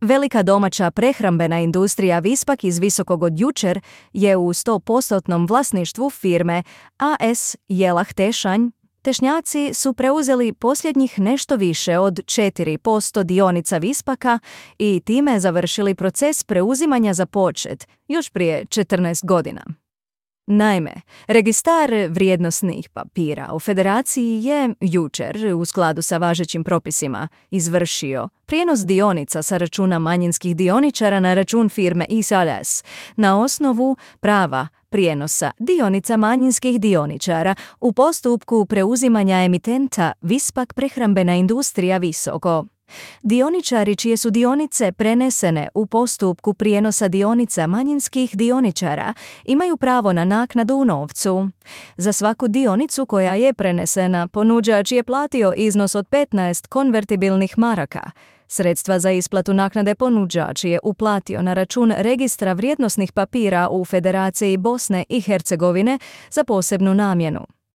Velika domaća prehrambena industrija Vispak iz Visokog od jučer je u 100% vlasništvu firme AS Jelah Tešanj. Tešnjaci su preuzeli posljednjih nešto više od 4% dionica Vispaka i time završili proces preuzimanja započet još prije 14 godina. Naime, registar vrijednosnih papira u Federaciji je jučer, u skladu sa važećim propisima, izvršio prijenos dionica sa računa manjinskih dioničara na račun firme ISALAS na osnovu prava prijenosa dionica manjinskih dioničara u postupku preuzimanja emitenta Vispak prehrambena industrija Visoko. Dioničari čije su dionice prenesene u postupku prijenosa dionica manjinskih dioničara imaju pravo na naknadu u novcu. Za svaku dionicu koja je prenesena, ponuđač je platio iznos od 15 konvertibilnih maraka. Sredstva za isplatu naknade ponuđač je uplatio na račun registra vrijednosnih papira u Federaciji Bosne i Hercegovine za posebnu namjenu.